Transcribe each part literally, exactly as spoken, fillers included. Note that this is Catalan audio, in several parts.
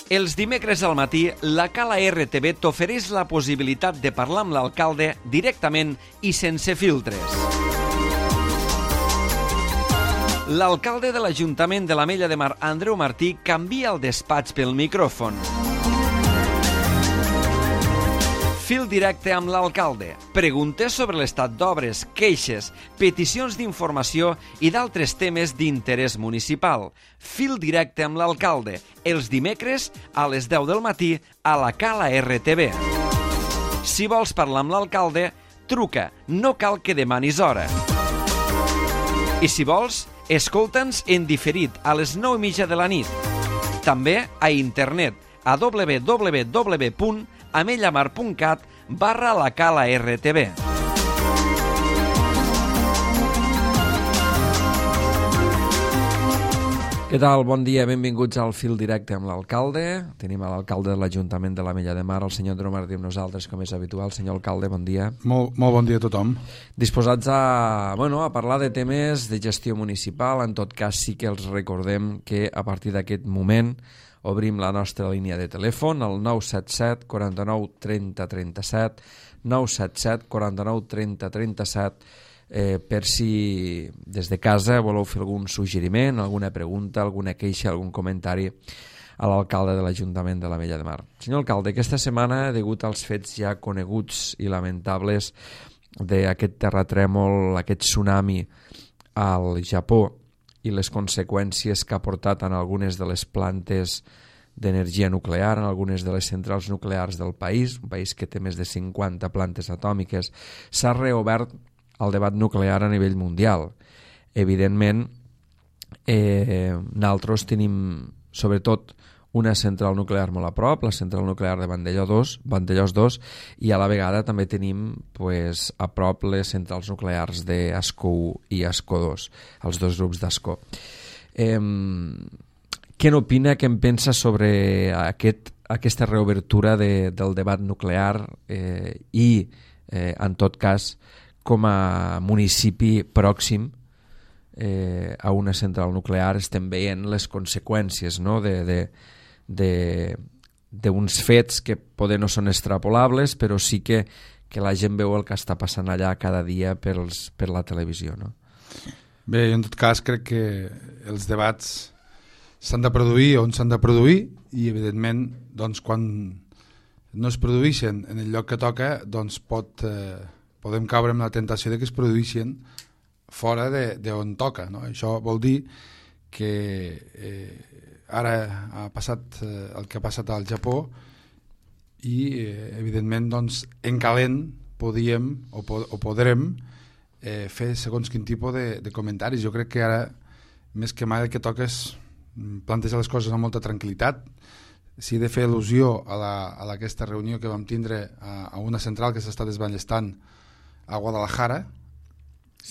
Els dimecres al matí, la Cala R T V t'ofereix la possibilitat de parlar amb l'alcalde directament i sense filtres. L'alcalde de l'Ajuntament de l'Ametlla de Mar, Andreu Martí, canvia el despatx pel micròfon. Fil directe amb l'alcalde. Preguntes sobre l'estat d'obres, queixes, peticions d'informació i d'altres temes d'interès municipal. Fil directe amb l'alcalde. Els dimecres a les deu del matí a la Cala R T V. Si vols parlar amb l'alcalde, truca. No cal que demanis hora. I si vols, escolta'ns en diferit a les nou i mitja de la nit. També a internet a w w w punt amellamar punt cat barra la Cala R T V. Què tal? Bon dia, benvinguts al Fil Directe amb l'alcalde. Tenim a l'alcalde de l'Ajuntament de l'Ametlla de Mar, el senyor Andreu Martí, amb nosaltres, com és habitual. Senyor alcalde, bon dia. Molt, molt bon dia a tothom. Disposats a, bueno, a parlar de temes de gestió municipal. En tot cas, sí que els recordem que a partir d'aquest moment obrim la nostra línia de telèfon, el nou set set, quaranta-nou, trenta, trenta-set, nou set set, quaranta-nou, trenta, trenta-set, eh, per si des de casa voleu fer algun suggeriment, alguna pregunta, alguna queixa, algun comentari a l'alcalde de l'Ajuntament de l'Ametlla de Mar. Senyor alcalde, aquesta setmana, degut als fets ja coneguts i lamentables d'aquest terratrèmol, aquest tsunami al Japó, i les conseqüències que ha portat en algunes de les plantes d'energia nuclear, en algunes de les centrals nuclears del país, un país que té més de cinquanta plantes atòmiques, s'ha reobert el debat nuclear a nivell mundial. Evidentment, eh, nosaltres tenim, sobretot, una central nuclear molt a prop, la central nuclear de Vandellós dos, Vandellós dos, i a la vegada també tenim pues, a prop les centrals nuclears d'Ascó u i Ascó dos, els dos grups d'Ascó. Eh, què n'opina, què en pensa sobre aquest, aquesta reobertura de, del debat nuclear eh, i, eh, en tot cas, com a municipi pròxim eh, a una central nuclear estem veient les conseqüències, no?, de, de d'uns fets que poder no són extrapolables, però sí que, que la gent veu el que està passant allà cada dia pels, per la televisió, no? Bé, en tot cas crec que els debats s'han de produir on s'han de produir i evidentment doncs, quan no es produeixen en el lloc que toca doncs pot, eh, podem caure en la tentació de que es produeixin fora d'on toca, no? Això vol dir que eh, ara ha passat eh, el que ha passat al Japó i eh, evidentment doncs, en calent podíem o, po o podrem eh, fer segons quin tipus de, de comentaris. Jo crec que ara més que mai el que toca és plantejar les coses amb molta tranquil·litat. Si he de fer al·lusió a, la, a aquesta reunió que vam tindre a, a una central que s'està desballestant a Guadalajara,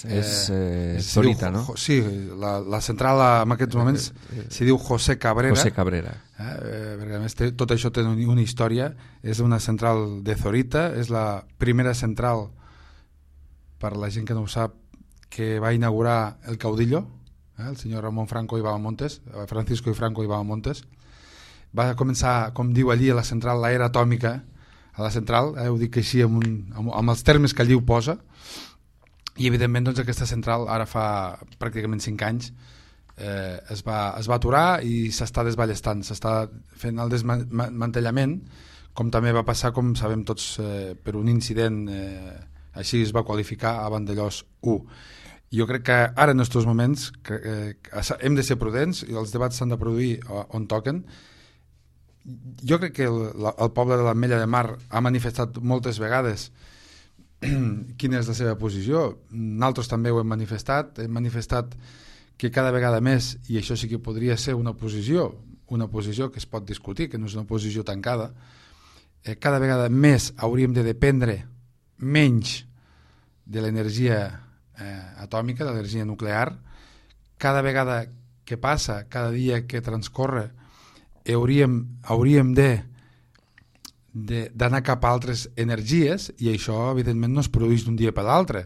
és eh, Zorita, no? Sí, la, la central en aquests moments s'hi diu José Cabrera. José Cabrera. Eh, perquè a més té, tot això té una història. És una central de Zorita, és la primera central, per la gent que no ho sap, que va inaugurar el Caudillo, eh, el senyor Ramon Franco i Bahamontes, Francisco i Franco i Bahamontes. Va començar, com diu allí a la central, l'era atòmica a la central, eh, ho dic així amb, un, amb, amb els termes que allí ho posa. I evidentment doncs, aquesta central ara fa pràcticament cinc anys eh, es, va, es va aturar i s'està desballestant, s'està fent el desmantellament, com també va passar, com sabem tots, eh, per un incident, eh, així es va qualificar a Vandellós u. Jo crec que ara en aquests moments que, eh, hem de ser prudents i els debats s'han de produir on toquen. Jo crec que el, el poble de l'Ametlla de Mar ha manifestat moltes vegades quina és la seva posició. Nosaltres també ho hem manifestat, hem manifestat que cada vegada més, i això sí que podria ser una posició, una posició que es pot discutir, que no és una posició tancada, eh, cada vegada més hauríem de dependre menys de l'energia eh, atòmica, de l'energia nuclear. Cada vegada que passa, cada dia que transcorre, hauríem, hauríem de d'anar cap a altres energies i això evidentment no es produeix d'un dia per l'altre.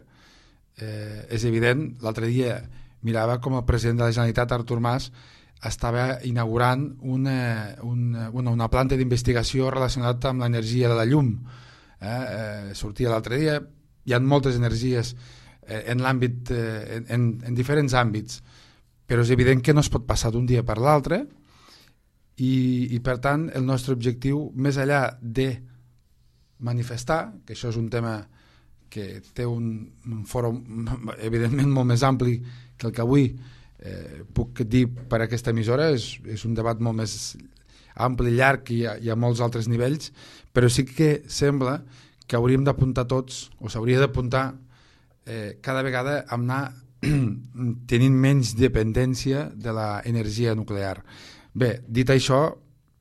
Eh, és evident, l'altre dia mirava com el president de la Generalitat, Artur Mas, estava inaugurant una, una, una, una planta d'investigació relacionada amb l'energia de la llum. Eh? Eh, sortia l'altre dia, hi ha moltes energies eh, en l'àmbit, eh, en, en diferents àmbits, però és evident que no es pot passar d'un dia per l'altre i, i per tant el nostre objectiu, més enllà de manifestar, que això és un tema que té un, un fòrum evidentment molt més ampli que el que avui eh, puc dir per aquesta emissora, és, és un debat molt més ampli, llarg i hi ha molts altres nivells, però sí que sembla que hauríem d'apuntar tots, o s'hauria d'apuntar eh, cada vegada a anar tenint menys dependència de l'energia nuclear. Bé, dit això,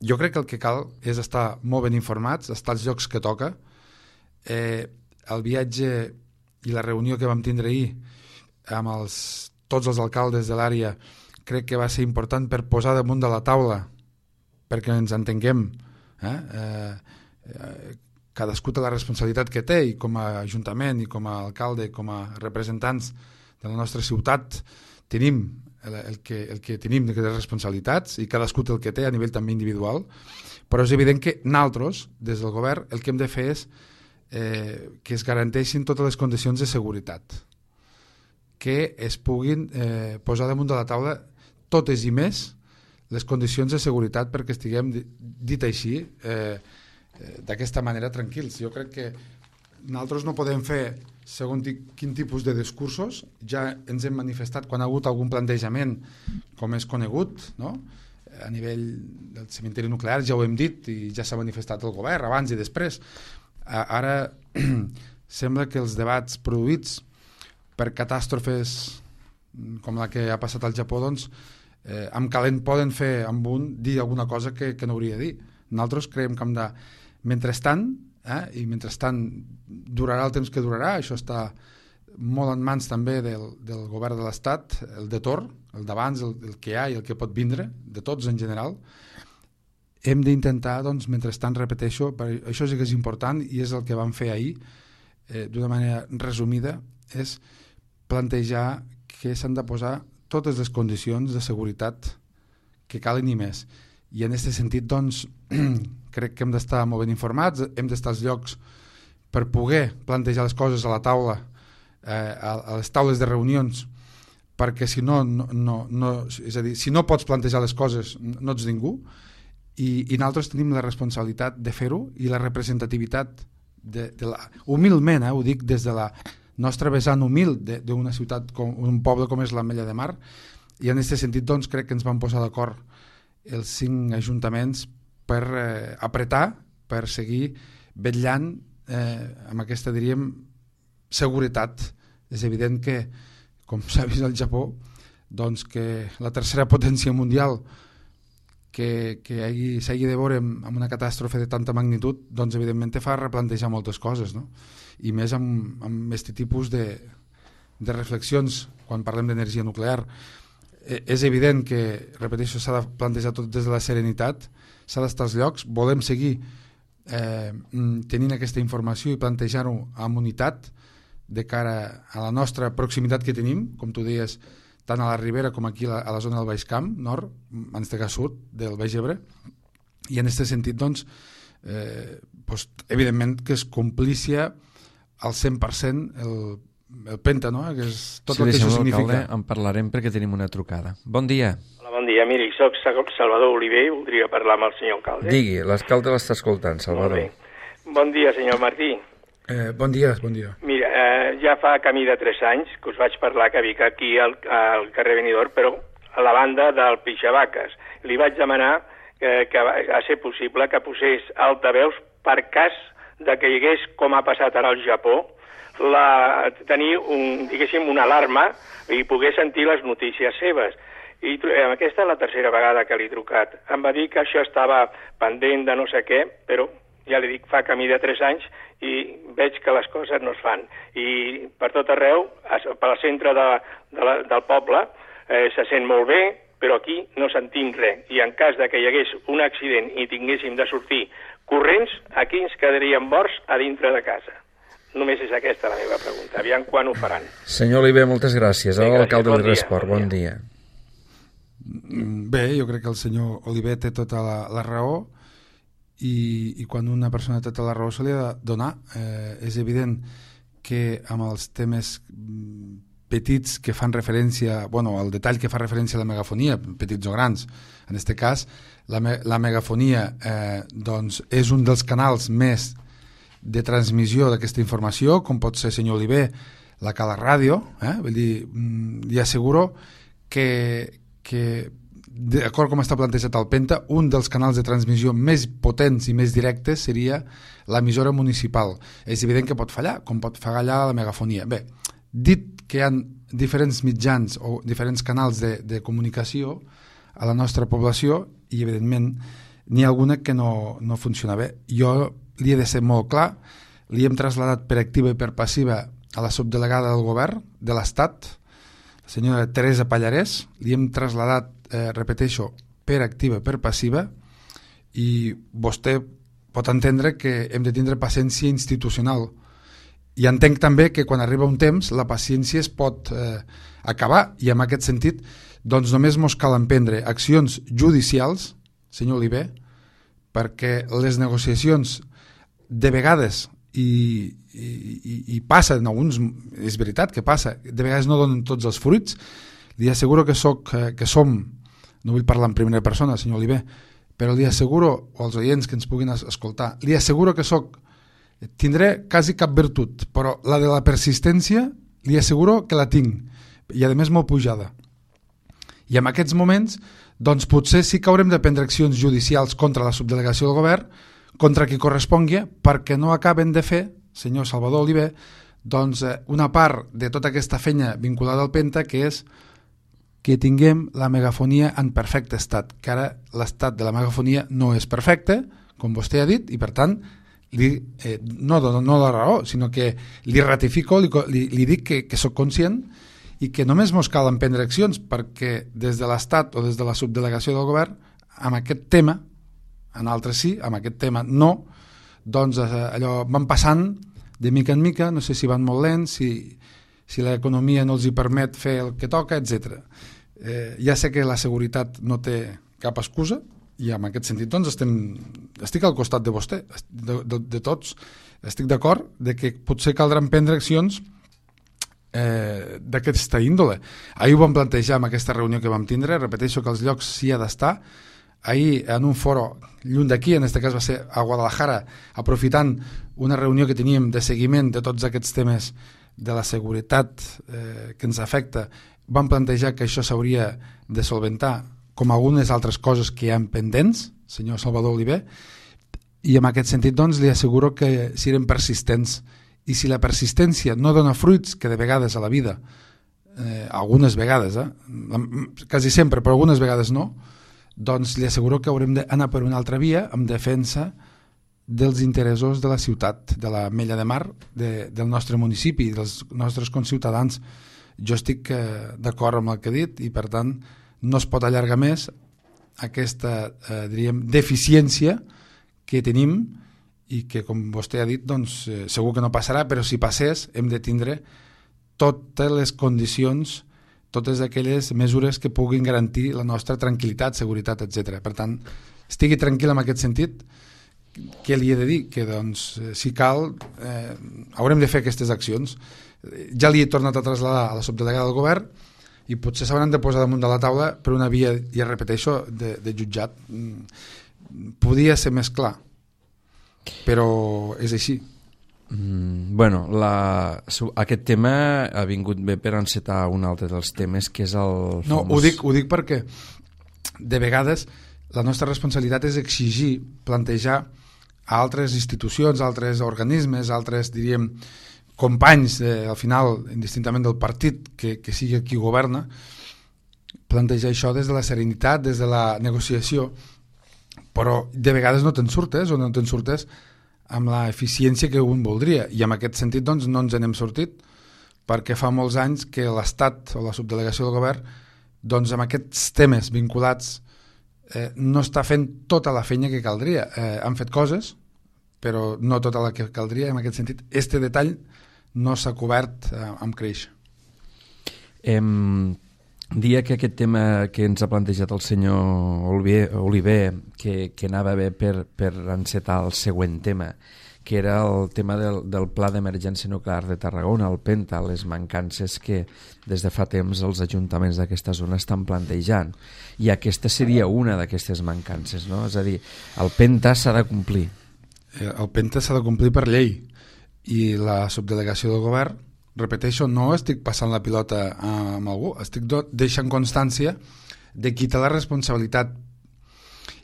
jo crec que el que cal és estar molt ben informats, estar als llocs que toca. Eh, el viatge i la reunió que vam tindre ahir amb els, tots els alcaldes de l'àrea crec que va ser important per posar damunt de la taula, perquè ens entenguem, eh? Eh, eh, cadascú té la responsabilitat que té, i com a ajuntament i com a alcalde, com a representants de la nostra ciutat tenim el, el, que, el que tenim de responsabilitats, i cadascú té el que té a nivell també individual, però és evident que nosaltres, des del govern, el que hem de fer és eh, que es garanteixin totes les condicions de seguretat, que es puguin eh, posar damunt de la taula totes i més les condicions de seguretat perquè estiguem, dit així, eh, eh, d'aquesta manera tranquils. Jo crec que nosaltres no podem fer segons quin tipus de discursos, ja ens hem manifestat quan ha hagut algun plantejament com és conegut, no? A nivell del cementiri nuclear ja ho hem dit i ja s'ha manifestat el govern abans i després. Ara sembla que els debats produïts per catàstrofes com la que ha passat al Japó, doncs, eh, amb calent poden fer amb un dir alguna cosa que, que no hauria de dir. Nosaltres creiem que hem de, mentrestant, eh, i mentrestant durarà el temps que durarà, això està molt en mans també del, del govern de l'Estat, el de torn, el d'abans, el, el que hi ha i el que pot vindre, de tots en general. Hem d'intentar, doncs, mentrestant, repeteixo, això sí que és important i és el que vam fer ahir, eh, d'una manera resumida, és plantejar que s'han de posar totes les condicions de seguretat que calen i més. I en aquest sentit, doncs, crec que hem d'estar molt ben informats, hem d'estar als llocs per poder plantejar les coses a la taula, eh, a, a les taules de reunions, perquè si no, no, no, no, és a dir, si no pots plantejar les coses, no ets ningú, i, i nosaltres tenim la responsabilitat de fer-ho i la representativitat, de, de la, humilment, eh, ho dic des de la nostra vessant humil d'una ciutat, com un poble com és l'Ametlla de Mar, i en aquest sentit doncs, crec que ens vam posar d'acord els cinc ajuntaments per eh, apretar, per seguir vetllant eh, amb aquesta, diríem, seguretat. És evident que, com s'ha vist al Japó, doncs que la tercera potència mundial que, que s'hagi de veure amb, amb una catàstrofe de tanta magnitud, doncs evidentment te fa replantejar moltes coses, no? I més amb, amb aquest tipus de, de reflexions quan parlem d'energia nuclear. Eh, és evident que, repeteixo, s'ha de plantejar tot des de la serenitat, s'ha d'estar als llocs, volem seguir eh, tenint aquesta informació i plantejar-ho amb unitat de cara a la nostra proximitat que tenim, com tu deies, tant a la Ribera com aquí a la, a la zona del Baix Camp, nord, en este cas sud, del Baix Ebre, i en aquest sentit, doncs, eh, doncs, evidentment que es complícia al cent per cent el, el Penta, no? Que és tot sí, el que això significa. En parlarem perquè tenim una trucada. Bon dia. Hola, bon dia. Miri, soc Salvador Oliver i voldria parlar amb el senyor alcalde. Digui, l'alcalde l'està escoltant, Salvador. Bon dia, senyor Martí. Eh, bon dia, bon dia. Mira, eh, ja fa camí de tres anys que us vaig parlar que vic aquí al, al carrer Benidorm, però a la banda del Pixavaques. Li vaig demanar que, que a ser possible que posés altaveus per cas de que hi hagués, com ha passat ara al Japó, la, tenir un, diguéssim, una alarma i poder sentir les notícies seves. I aquesta és la tercera vegada que li he trucat. Em va dir que això estava pendent de no sé què, però ja li dic, fa camí de tres anys i veig que les coses no es fan. I per tot arreu, pel centre de, de la, del poble, eh, se sent molt bé, però aquí no sentim res. I en cas de que hi hagués un accident i tinguéssim de sortir corrents, aquí ens quedaríem morts a dintre de casa. Només és aquesta la meva pregunta. Aviam quan ho faran. Senyor Oliver, moltes gràcies. Ara l'alcalde li respon. Bon dia. Bé, jo crec que el senyor Oliver té tota la, la raó i, i quan una persona té tota la raó se li ha de donar. Eh, és evident que amb els temes petits que fan referència, bueno, el detall que fa referència a la megafonia, petits o grans, en aquest cas, la, me, la megafonia eh, doncs és un dels canals més de transmissió d'aquesta informació, com pot ser, senyor Oliver, la Cala Ràdio, eh? Vull dir, li asseguro que, que d'acord com està plantejat el Penta, un dels canals de transmissió més potents i més directes seria l'emissora municipal. És evident que pot fallar, com pot fallar la megafonia. Bé, dit que hi ha diferents mitjans o diferents canals de, de comunicació a la nostra població i evidentment n'hi ha alguna que no, no funciona bé. Jo li he de ser molt clar, li hem traslladat per activa i per passiva a la subdelegada del govern de l'Estat, la senyora Teresa Pallarès, li hem traslladat, eh, repeteixo, per activa i per passiva, i vostè pot entendre que hem de tindre paciència institucional. I entenc també que quan arriba un temps la paciència es pot eh, acabar, i en aquest sentit doncs només mos cal emprendre accions judicials, senyor Oliver, perquè les negociacions de vegades i, i, i, i passa en alguns, és veritat que passa, de vegades no donen tots els fruits. Li asseguro que, soc, que som, no vull parlar en primera persona, senyor Oliver, però li asseguro, o als oients que ens puguin escoltar, li asseguro que soc, tindré quasi cap virtut, però la de la persistència li asseguro que la tinc, i a més molt pujada. I en aquests moments, doncs potser sí que haurem de prendre accions judicials contra la subdelegació del govern, contra qui correspongui, perquè no acaben de fer, senyor Salvador Oliver, doncs una part de tota aquesta feina vinculada al Penta, que és que tinguem la megafonia en perfecte estat, que ara l'estat de la megafonia no és perfecte, com vostè ha dit, i per tant, li, eh, no, no la raó, sinó que li ratifico, li, li, li dic que, que sóc conscient i que només mos cal emprendre accions, perquè des de l'Estat o des de la subdelegació del govern, amb aquest tema, en altres sí, amb aquest tema no, doncs allò van passant de mica en mica, no sé si van molt lents, si, si l'economia no els hi permet fer el que toca, etcètera. Eh, ja sé que la seguretat no té cap excusa, i en aquest sentit doncs estem, estic al costat de vostè, de, de, de tots, estic d'acord de que potser caldran prendre accions eh, d'aquesta índole. Ahir ho vam plantejar en aquesta reunió que vam tindre, repeteixo que els llocs s'hi ha d'estar. Ahir en un foro lluny d'aquí, en aquest cas va ser a Guadalajara, aprofitant una reunió que teníem de seguiment de tots aquests temes de la seguretat eh, que ens afecta, vam plantejar que això s'hauria de solventar com algunes altres coses que hi ha pendents, senyor Salvador Oliver, i en aquest sentit doncs li asseguro que serem persistents, i si la persistència no dona fruits, que de vegades a la vida, eh, algunes vegades, eh, quasi sempre, però algunes vegades no, doncs li asseguro que haurem d'anar per una altra via en defensa dels interessos de la ciutat, de la Mella de Mar, de, del nostre municipi, dels nostres conciutadans. Jo estic eh, d'acord amb el que he dit i per tant no es pot allargar més aquesta eh, diríem, deficiència que tenim i que, com vostè ha dit, doncs, eh, segur que no passarà, però si passés hem de tindre totes les condicions, totes aquelles mesures que puguin garantir la nostra tranquil·litat, seguretat, etcètera. Per tant, estigui tranquil en aquest sentit. Què li he de dir? Que doncs, si cal, eh, haurem de fer aquestes accions. Ja li he tornat a traslladar a la subdelegada del govern i potser s'hauran de posar damunt de la taula per una via, ja repeteixo, de, de jutjat. Podia ser més clar, però és així. Mm, bueno, la, aquest tema ha vingut bé per encetar un altre dels temes, que és el famós... No, ho dic, ho dic perquè de vegades la nostra responsabilitat és exigir, plantejar a altres institucions, a altres organismes, a altres, diríem, companys, eh, al final, indistintament del partit que, que sigui qui governa, plantejar això des de la serenitat, des de la negociació, però de vegades no te'n surtes o no te'n surtes amb la eficiència que un voldria, i en aquest sentit doncs, no ens n'hem sortit, perquè fa molts anys que l'Estat o la subdelegació del govern doncs, amb aquests temes vinculats eh, no està fent tota la feina que caldria. Eh, han fet coses, però no tota la que caldria, i en aquest sentit este detall no s'ha cobert eh, amb creix. Em, dia que aquest tema que ens ha plantejat el senyor Oliver, Oliver que, que anava bé per, per encetar el següent tema, que era el tema del, del Pla d'Emergència Nuclear de Tarragona, el PENTA, les mancances que des de fa temps els ajuntaments d'aquesta zona estan plantejant. I aquesta seria una d'aquestes mancances, no? És a dir, el PENTA s'ha de complir. El PENTA s'ha de complir per llei i la subdelegació del govern, repeteixo, no estic passant la pilota amb algú, estic deixant constància de qui té la responsabilitat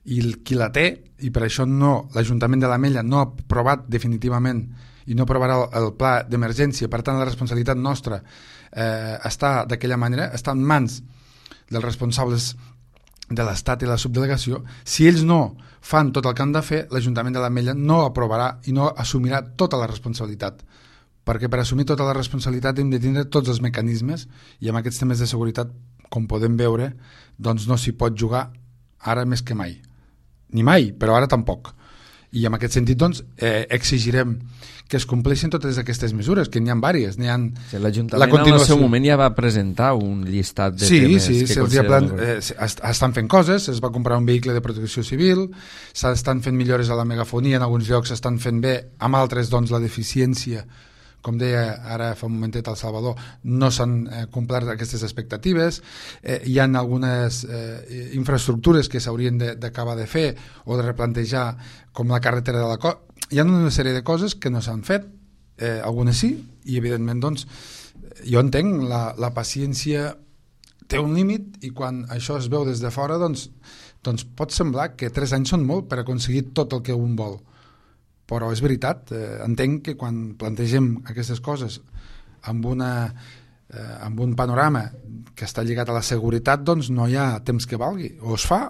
i qui la té, i per això no, l'Ajuntament de l'Ametlla no ha aprovat definitivament i no aprovarà el, el pla d'emergència. Per tant, la responsabilitat nostra eh, està d'aquella manera, està en mans dels responsables de l'Estat i la subdelegació. Si ells no fan tot el que han de fer, l'Ajuntament de l'Ametlla no aprovarà i no assumirà tota la responsabilitat, perquè per assumir tota la responsabilitat hem de tindre tots els mecanismes, i amb aquests temes de seguretat, com podem veure, doncs no s'hi pot jugar ara més que mai. Ni mai, però ara tampoc. I en aquest sentit doncs, eh, exigirem que es compleixin totes aquestes mesures, que n'hi ha diverses. N'hi ha sí, l'Ajuntament continuació... en el seu moment ja va presentar un llistat de sí, temes sí, que sí, consideren... plan, eh, estan fent coses, es va comprar un vehicle de protecció civil, s'estan fent millores a la megafonia, en alguns llocs s'estan fent bé, amb altres doncs la deficiència, com deia ara fa un momentet el Salvador, no s'han eh, complert aquestes expectatives, eh, hi ha algunes eh, infraestructures que s'haurien d'acabar de, de fer o de replantejar, com la carretera de la Costa. Hi ha una sèrie de coses que no s'han fet, eh, algunes sí, i evidentment doncs, jo entenc, la, la paciència té un límit, i quan això es veu des de fora doncs, doncs pot semblar que tres anys són molt per aconseguir tot el que un vol. Però és veritat, eh, entenc que quan plantegem aquestes coses amb, una, eh, amb un panorama que està lligat a la seguretat, doncs no hi ha temps que valgui. O es fa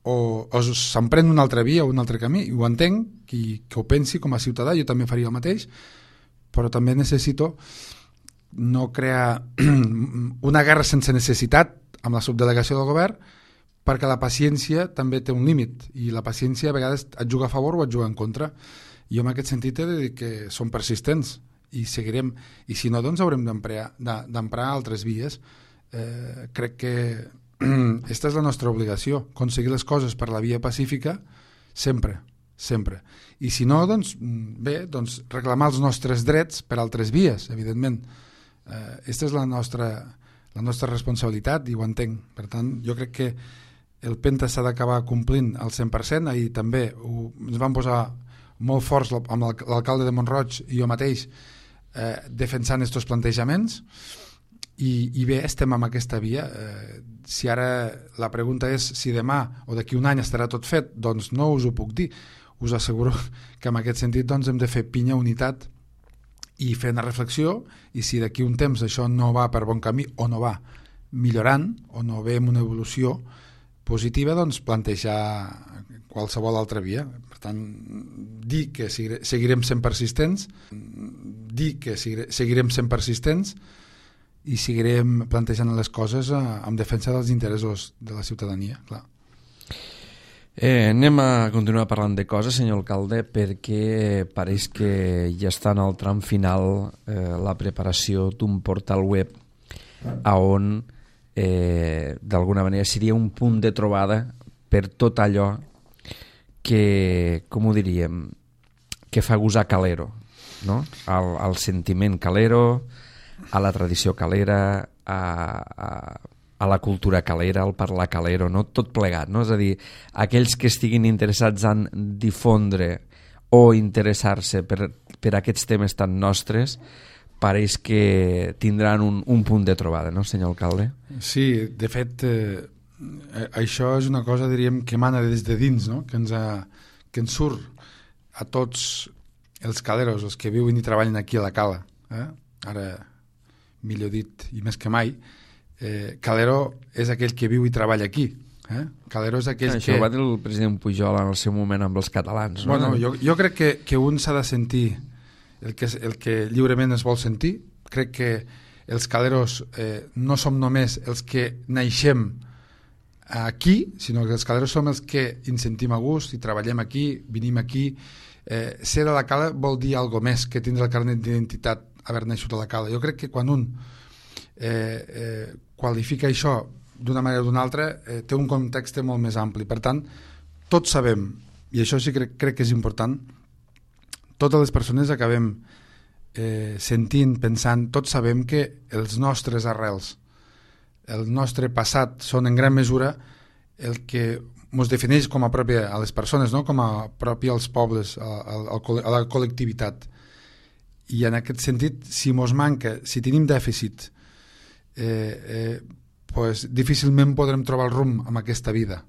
o, o s'emprèn una altra via o un altre camí. I ho entenc, qui, que ho pensi com a ciutadà, jo també faria el mateix, però també necessito no crear una guerra sense necessitat amb la subdelegació del govern, perquè la paciència també té un límit, i la paciència a vegades et juga a favor o et juga en contra. Jo en aquest sentit he de dir que som persistents i seguirem, i si no doncs haurem d'emprar altres vies. Eh, crec que aquesta és la nostra obligació, aconseguir les coses per la via pacífica sempre, sempre. I si no, doncs bé, doncs reclamar els nostres drets per altres vies, evidentment. Aquesta eh, és la nostra, la nostra responsabilitat, i ho entenc. Per tant, jo crec que el PENTA s'ha d'acabar complint al cent per cent. Ahir també ho, ens vam posar molt forts amb l'alcalde de Mont-roig i jo mateix eh, defensant aquests plantejaments, i, i bé, estem amb aquesta via. Eh, si ara la pregunta és si demà o d'aquí un any estarà tot fet, doncs no us ho puc dir. Us asseguro que en aquest sentit doncs, hem de fer pinya, unitat, i fer una reflexió, i si d'aquí un temps això no va per bon camí o no va millorant o no ve amb una evolució positiva, doncs plantejar qualsevol altra via. Per tant, dir que seguirem sent persistents, dir que seguirem sent persistents i seguirem plantejant les coses en defensa dels interessos de la ciutadania, clar. Eh, anem a continuar parlant de coses, senyor alcalde, perquè pareix que ja està en el tram final eh, la preparació d'un portal web a on eh, d'alguna manera seria un punt de trobada per tot allò que, com ho diríem, que fa gosar Calero, no? Al, al sentiment calero, a la tradició calera, a, a, a la cultura calera, al parlar calero, no? Tot plegat, no? És a dir, aquells que estiguin interessats en difondre o interessar-se per, per aquests temes tan nostres, pareix que tindran un, un punt de trobada, no, senyor alcalde? Sí, de fet, eh, això és una cosa, diríem, que emana des de dins, no? Que ens, ha, que ens surt a tots els caleros, els que viuen i treballen aquí a la cala. Eh? Ara, millor dit, i més que mai, eh, calero és aquell que viu i treballa aquí. Eh? Calero és aquell això que... Això va dir el president Pujol en el seu moment amb els catalans. No? Bueno, jo, jo crec que, que un s'ha de sentir el que, el que lliurement es vol sentir. Crec que els caleros eh, no som només els que naixem aquí, sinó que els caleros som els que ens sentim a gust i treballem aquí, vinim aquí. Eh, ser de la cala vol dir alguna més que tindre el carnet d'identitat haver nascut a la cala. Jo crec que quan un eh, eh, qualifica això d'una manera o d'una altra, eh, té un context molt més ampli. Per tant, tots sabem, i això sí que crec, crec que és important, totes les persones acabem eh, sentint, pensant, tots sabem que els nostres arrels, el nostre passat, són en gran mesura el que ens defineix com a pròpia a les persones, no? Com a pròpia als pobles, a, a, a la col·lectivitat. I en aquest sentit, si ens manca, si tenim dèficit, eh, eh, pues, difícilment podrem trobar el rumb en aquesta vida.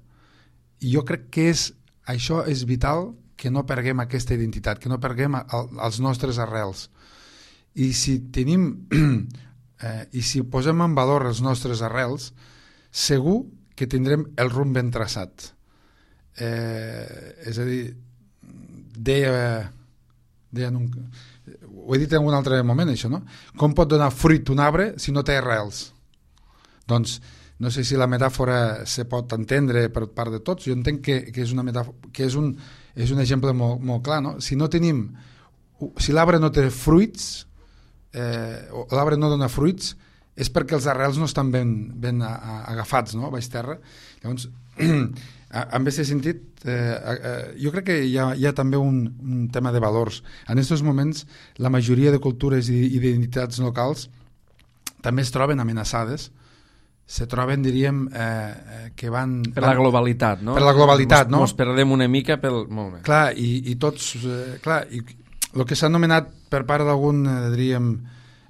I jo crec que és, això és vital, que no perguem aquesta identitat, que no perguem el, els nostres arrels. I si tenim eh, i si posem en valor els nostres arrels, segur que tindrem el rumb ben traçat. Eh, és a dir, deia, deia un, ho he dit en un altre moment, això, no? Com pot donar fruit un arbre si no té arrels? Doncs no sé si la metàfora se pot entendre per part de tots. Jo entenc que, que és una metàfora, que és un, és un exemple molt, molt clar, no? Si no tenim, si l'arbre no té fruits, eh, o l'arbre no dona fruits, és perquè els arrels no estan ben, ben a, a, agafats, no? A baix terra. Llavors, en aquest sentit, eh, eh, jo crec que hi ha, hi ha també un, un tema de valors. En aquests moments, la majoria de cultures i identitats locals també es troben amenaçades, se troben, diríem, eh, que van... Per la globalitat, no? Per la globalitat, mos, no? Ens perdem una mica pel... Molt bé. Clar, i, i tots... Eh, clar, i el que s'ha anomenat per part d'algun, eh, diríem,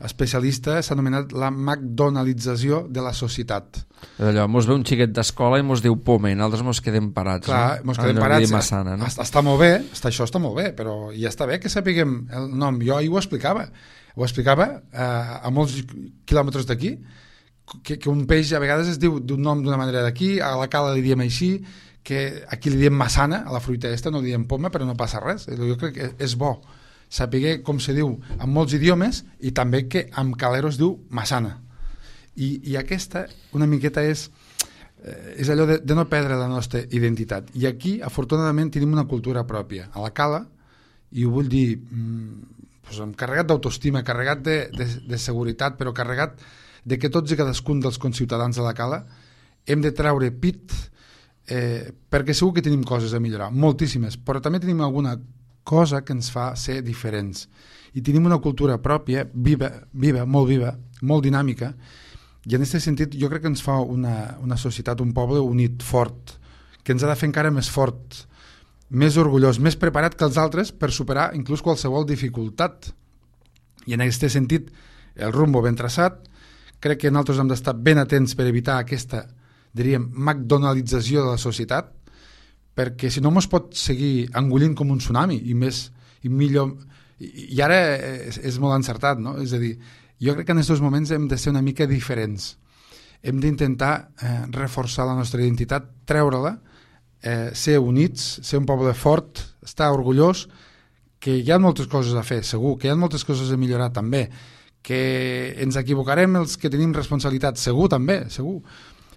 especialista, s'ha anomenat la McDonaldització de la societat. Allò, mos ve un xiquet d'escola i mos diu poma, i nosaltres mos quedem parats. Clar, no? mos quedem parats. Massana, no? Està molt bé, està, això està molt bé, però ja està bé que sapiguem el nom. Jo ahir ho explicava. Ho explicava eh, a molts quilòmetres d'aquí, que, que un peix a vegades es diu d'un nom d'una manera d'aquí, a la Cala li diem així, que aquí li diem massana, a la fruita esta no li diem poma, però no passa res. Jo crec que és bo saber com se diu en molts idiomes i també que amb calero es diu massana. I, i aquesta una miqueta és, eh, és allò de, de no perdre la nostra identitat. I aquí, afortunadament, tenim una cultura pròpia. A la Cala, i ho vull dir, mm, pues, carregat d'autoestima, carregat de, de, de seguretat, però carregat de que tots i cadascun dels conciutadans de la Cala hem de treure pit, eh, perquè segur que tenim coses a millorar, moltíssimes, però també tenim alguna cosa que ens fa ser diferents. I tenim una cultura pròpia, viva, viva, molt viva, molt dinàmica, i en aquest sentit jo crec que ens fa una, una societat, un poble unit, fort, que ens ha de fer encara més fort, més orgullós, més preparat que els altres per superar inclús qualsevol dificultat. I en aquest sentit, el rumbo ben traçat, crec que nosaltres hem d'estar ben atents per evitar aquesta, diríem, McDonaldització de la societat, perquè si no mos pot seguir engollint com un tsunami i més i millor i, i ara és, és molt encertat, no? És a dir, jo crec que en aquests moments hem de ser una mica diferents, hem d'intentar eh, reforçar la nostra identitat, treure-la, eh, ser units, ser un poble fort, estar orgullós, que hi ha moltes coses a fer, segur, que hi ha moltes coses a millorar també, que ens equivocarem els que tenim responsabilitat, segur també, segur,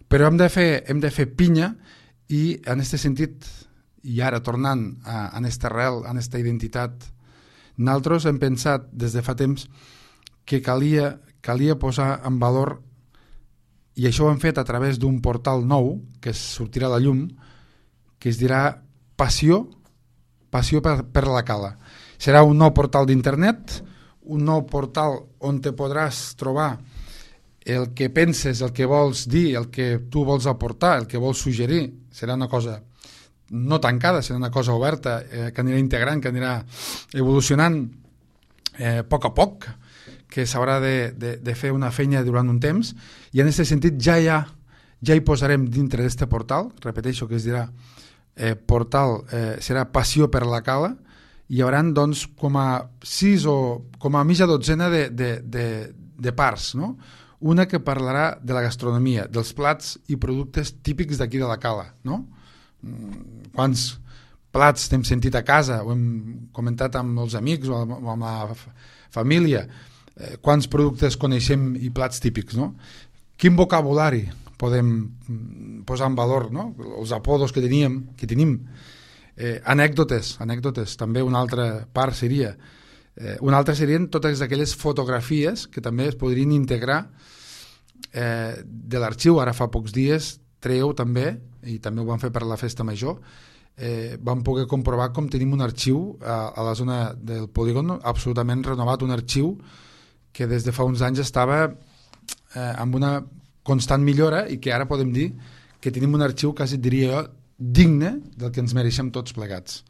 però hem de fer, hem de fer pinya. I en aquest sentit, i ara tornant a, a aquesta arrel, a aquesta identitat, nosaltres hem pensat des de fa temps que calia, calia posar en valor, i això ho hem fet a través d'un portal nou que sortirà a la llum, que es dirà Passió, Passió per, per la Cala. Serà un nou portal d'internet, un nou portal on te podràs trobar el que penses, el que vols dir, el que tu vols aportar, el que vols suggerir, serà una cosa no tancada, serà una cosa oberta, eh, que anirà integrant, que anirà evolucionant eh, a poc a poc, que s'haurà de, de, de fer una feina durant un temps, i en aquest sentit ja, ja, ja hi posarem dintre d'aquest portal, repeteixo que es dirà eh, portal, eh, serà Passió per la Cala, i hi haurà doncs com a sis o com a mitja dotzena de, de, de, de parts, no? Una que parlarà de la gastronomia, dels plats i productes típics d'aquí de la Cala, no? Quants plats t'hem sentit a casa, ho hem comentat amb els amics o amb la família, eh, quants productes coneixem i plats típics, no? Quin vocabulari podem posar en valor, no? Els apodos que teníem, que tenim, eh, anècdotes, anècdotes, també una altra part seria. Eh, una altra serien totes aquelles fotografies que també es podrien integrar eh, de l'arxiu, ara fa pocs dies, treu també, i també ho van fer per la festa major, eh, vam poder comprovar com tenim un arxiu a, a la zona del polígon absolutament renovat, un arxiu que des de fa uns anys estava eh, amb una constant millora i que ara podem dir que tenim un arxiu, quasi diria jo, digne del que ens mereixem tots plegats.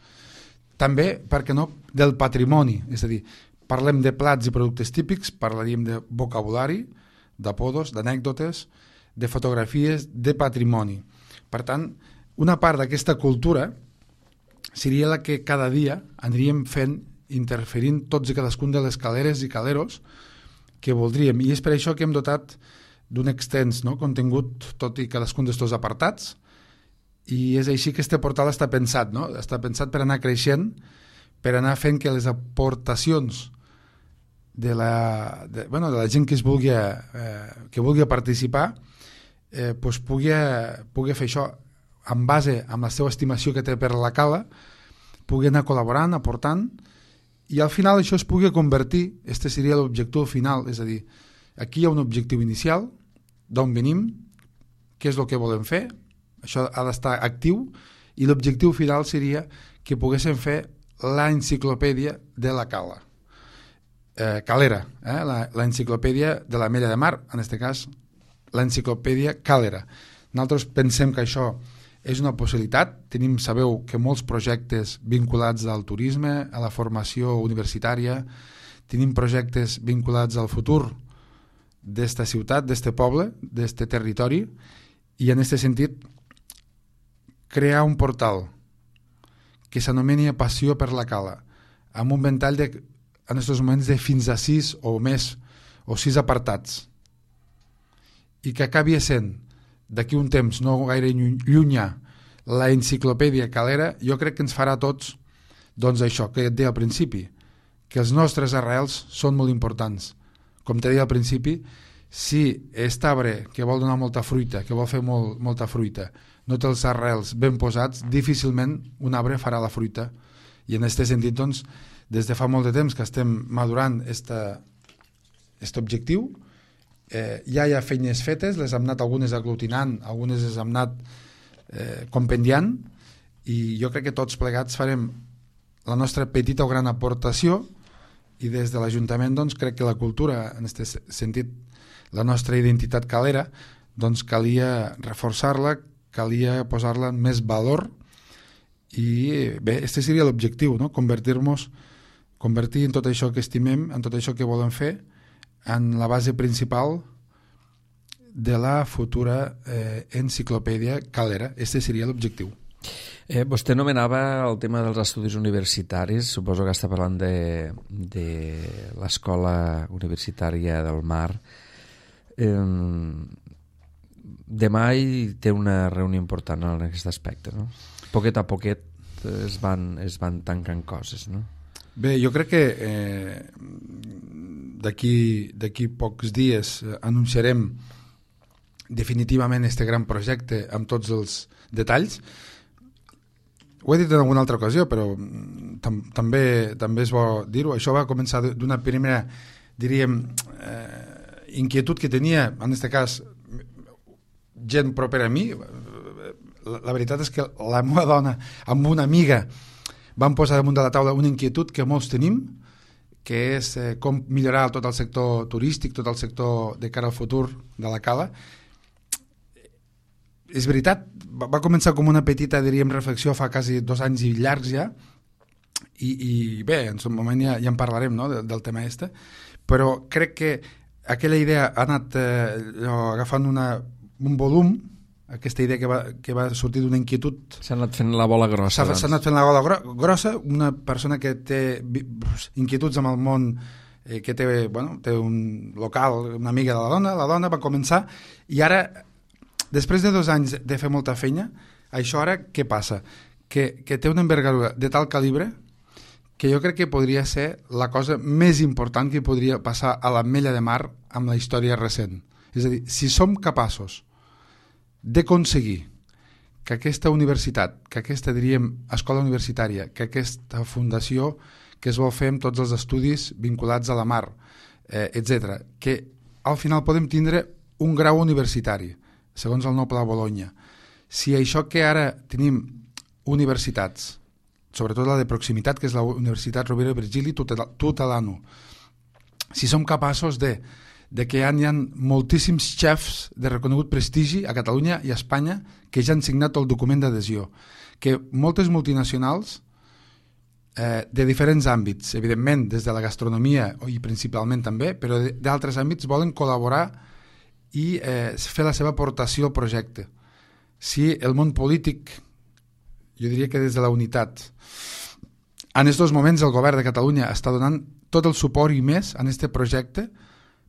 També, per què no, del patrimoni, és a dir, parlem de plats i productes típics, parlaríem de vocabulari, d'apodos, d'anècdotes, de fotografies, de patrimoni. Per tant, una part d'aquesta cultura seria la que cada dia aniríem fent, interferint tots i cadascun de les caleres i caleros que voldríem. I és per això que hem dotat d'un extens, no, contingut tot i cadascun d'estos apartats, i és així que este portal està pensat, no? Està pensat per anar creixent, per anar fent que les aportacions de la, de, bueno, de la gent que es vulgui, eh, que vulgui participar eh, pues pugui, pugui fer això en base amb la seva estimació que té per la cala, pugui anar col·laborant, aportant, i al final això es pugui convertir, este seria l'objectiu final, és a dir, aquí hi ha un objectiu inicial, d'on venim, què és el que volem fer, això ha d'estar actiu, i l'objectiu final seria que poguéssim fer l'enciclopèdia de la cala. Eh, calera, eh? l'enciclopèdia de la Mella de Mar, en aquest cas l'enciclopèdia Calera. Nosaltres pensem que això és una possibilitat, tenim, sabeu que molts projectes vinculats al turisme, a la formació universitària, tenim projectes vinculats al futur d'esta ciutat, d'este poble, d'este territori, i en aquest sentit crear un portal que s'anomeni Passió per la Cala, amb un ventall de, en aquests moments de fins a sis o més, o sis apartats, i que acabi sent d'aquí un temps no gaire llunyà la enciclopèdia Calera, jo crec que ens farà a tots doncs això que et deia al principi, que els nostres arrels són molt importants. Com te deia al principi, si aquest arbre que vol donar molta fruita, que vol fer molt, molta fruita, no té els arrels ben posats, difícilment un arbre farà la fruita. I en aquest sentit, doncs, des de fa molt de temps que estem madurant aquest objectiu, eh, ja hi ha feines fetes, les hem anat algunes aglutinant, algunes les hem anat eh, compendiant, i jo crec que tots plegats farem la nostra petita o gran aportació, i des de l'Ajuntament doncs, crec que la cultura, en aquest sentit, la nostra identitat calera, doncs calia reforçar-la, calia posar-la en més valor, i bé, este seria l'objectiu, no? Convertir-nos, convertir en tot això que estimem, en tot això que volem fer, en la base principal de la futura eh, enciclopèdia Calera. Este seria l'objectiu. Eh, vostè nomenava el tema dels estudis universitaris, suposo que està parlant de, de l'Escola Universitària del Mar. Eh, demà hi té una reunió important en aquest aspecte, no? Poquet a poquet es van, es van tancant coses, no? Bé, jo crec que eh, d'aquí d'aquí pocs dies eh, anunciarem definitivament este gran projecte amb tots els detalls. Ho he dit en alguna altra ocasió, però tam també també és bo dir-ho. Això va començar d'una primera, diríem, eh, inquietud que tenia, en aquest cas, gent propera a mi. La, la veritat és que la meva dona, amb una amiga, vam posar damunt de la taula una inquietud que molts tenim, que és eh, com millorar tot el sector turístic, tot el sector de cara al futur de la cala. És veritat, va, va començar com una petita, diríem, reflexió fa quasi dos anys i llargs ja, i, i bé, en un moment ja, ja en parlarem, no?, del, del tema este, però crec que aquella idea ha anat eh, agafant una, un volum, aquesta idea que va, que va sortir d'una inquietud. S'ha anat fent la bola grossa. S'ha doncs. anat fent la bola gro grossa, una persona que té inquietuds amb el món, eh, que té, bueno, té un local, una amiga de la dona, la dona va començar, i ara, després de dos anys de fer molta feina, això ara què passa? Que, que té una envergadura de tal calibre que jo crec que podria ser la cosa més important que podria passar a l'Ametlla de Mar amb la història recent. És a dir, si som capaços d'aconseguir que aquesta universitat, que aquesta, diríem, escola universitària, que aquesta fundació que es vol fer amb tots els estudis vinculats a la mar, eh, etcètera, que al final podem tindre un grau universitari, segons el nou Pla Bologna. Si això que ara tenim universitats, sobretot la de proximitat, que és la Universitat Rovira i Virgili Tutelano, si som capaços de, de que hi ha moltíssims xefs de reconegut prestigi a Catalunya i a Espanya que ja han signat el document d'adhesió, que moltes multinacionals eh, de diferents àmbits, evidentment des de la gastronomia i principalment també, però d'altres àmbits volen col·laborar i eh, fer la seva aportació al projecte. Si el món polític, jo diria que des de la unitat, en aquests moments el govern de Catalunya està donant tot el suport i més en aquest projecte,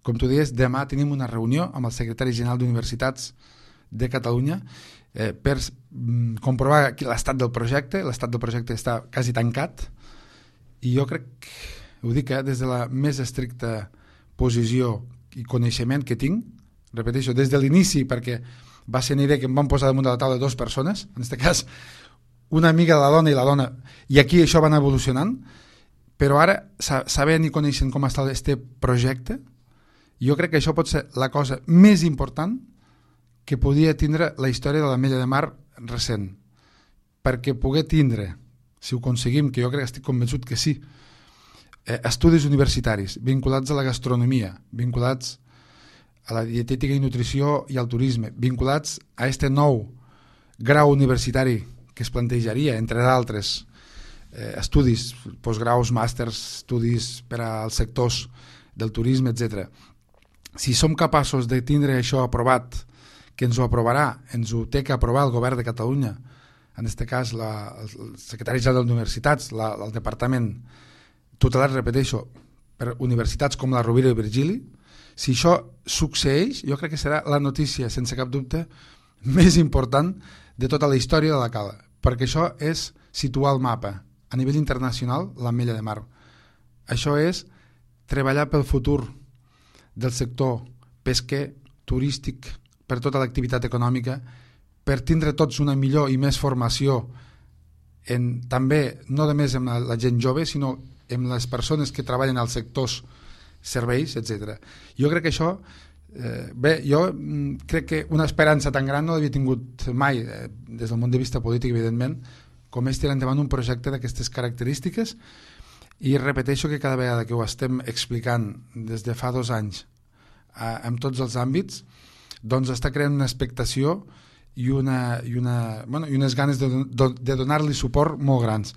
com tu deies, demà tenim una reunió amb el secretari general d'Universitats de Catalunya eh, per mm, comprovar l'estat del projecte. L'estat del projecte està quasi tancat i jo crec, ho dic eh, des de la més estricta posició i coneixement que tinc, repeteixo, des de l'inici, perquè va ser una idea que em van posar damunt de la taula dues persones, en aquest cas una amiga de la dona i la dona, i aquí això va anar evolucionant, però ara, sabent i coneixent com està aquest projecte, jo crec que això pot ser la cosa més important que podia tindre la història de l'Ametlla de Mar recent, perquè poder tindre, si ho aconseguim, que jo crec que estic convençut que sí, eh, estudis universitaris vinculats a la gastronomia, vinculats a la dietètica i nutrició i al turisme, vinculats a aquest nou grau universitari que es plantejaria, entre d'altres, eh, estudis, postgraus, màsters, estudis per als sectors del turisme, etcètera. Si som capaços de tindre això aprovat, que ens ho aprovarà, ens ho té que aprovar el govern de Catalunya, en aquest cas la, el secretari general d'Universitats, la, el departament tutelat, repeteixo, per universitats com la Rovira i Virgili, si això succeeix, jo crec que serà la notícia, sense cap dubte, més important de tota la història de la Cala, perquè això és situar el mapa a nivell internacional l'Ametlla de Mar. Això és treballar pel futur del sector pesquer, turístic, per tota l'activitat econòmica, per tindre tots una millor i més formació en, també, no només amb la, la gent jove, sinó amb les persones que treballen als sectors serveis, etcètera. Jo crec que això, eh, bé, jo crec que una esperança tan gran no l'havia tingut mai, eh, des del punt de vista polític, evidentment, com és tirar endavant un projecte d'aquestes característiques, i repeteixo que cada vegada que ho estem explicant des de fa dos anys eh, en tots els àmbits, doncs està creant una expectació i, una, i, una, bueno, i unes ganes de, de donar-li suport molt grans.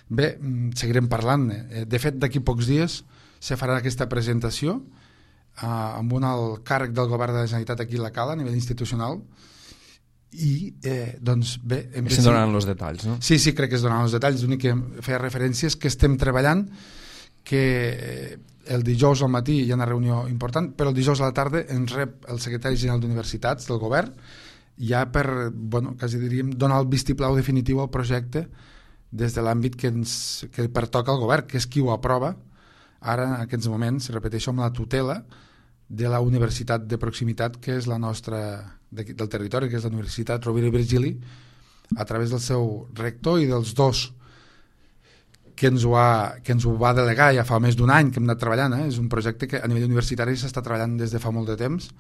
Bé, seguirem parlant. De fet, d'aquí pocs dies se farà aquesta presentació eh, amb un alt càrrec del govern de la Generalitat aquí a la Cala, a nivell institucional, i eh, doncs bé... Se donaran els detalls, no? Sí, sí, crec que es donaran els detalls. L'únic que feia referència és que estem treballant, que el dijous al matí hi ha una reunió important, però el dijous a la tarda ens rep el secretari general d'Universitats del govern, ja per, bueno, quasi diríem, donar el vistiplau definitiu al projecte des de l'àmbit que, ens, que pertoca al govern, que és qui ho aprova ara en aquests moments, repeteixo, amb la tutela de la universitat de proximitat que és la nostra, de, del territori, que és la Universitat Rovira i Virgili, a través del seu rector i dels dos que ens ho, ha, que ens ho va delegar ja fa més d'un any que hem anat treballant. Eh? És un projecte que a nivell universitari s'està treballant des de fa molt de temps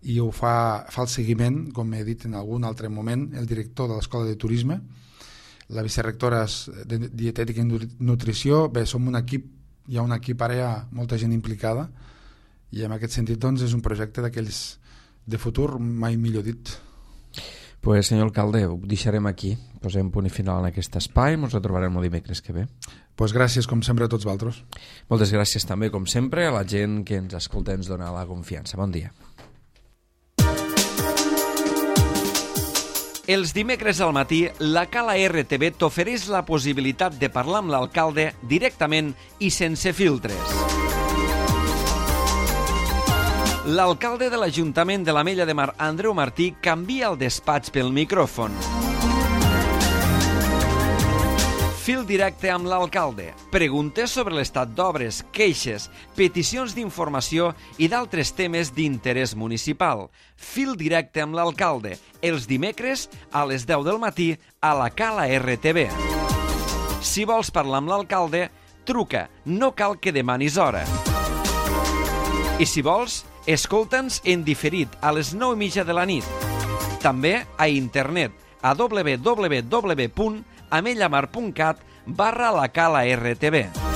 i ho fa, fa el seguiment, com he dit en algun altre moment, el director de l'Escola de Turisme, la vicerectora de Dietètica i Nutrició. Bé, som un equip, hi ha un equip ara, hi ha molta gent implicada, i en aquest sentit doncs, és un projecte d'aquells de futur, mai millor dit. Pues, senyor alcalde, ho deixarem aquí. Posem punt i final en aquest espai. Ens retrobarem el dimecres que ve. Pues gràcies, com sempre, a tots vosaltres. Moltes gràcies també, com sempre, a la gent que ens escolta i ens dona la confiança. Bon dia. Els dimecres al matí, la Cala R T V t'ofereix la possibilitat de parlar amb l'alcalde directament i sense filtres. L'alcalde de l'Ajuntament de l'Ametlla de Mar, Andreu Martí, canvia el despatx pel micròfon. Fil directe amb l'alcalde. Preguntes sobre l'estat d'obres, queixes, peticions d'informació i d'altres temes d'interès municipal. Fil directe amb l'alcalde. Els dimecres a les deu del matí a la Cala R T V. Si vols parlar amb l'alcalde, truca. No cal que demanis hora. I si vols, Escolta'ns en diferit a les nou i mitja de la nit. També a internet a w w w punt amellamar punt cat barra la cala R T V.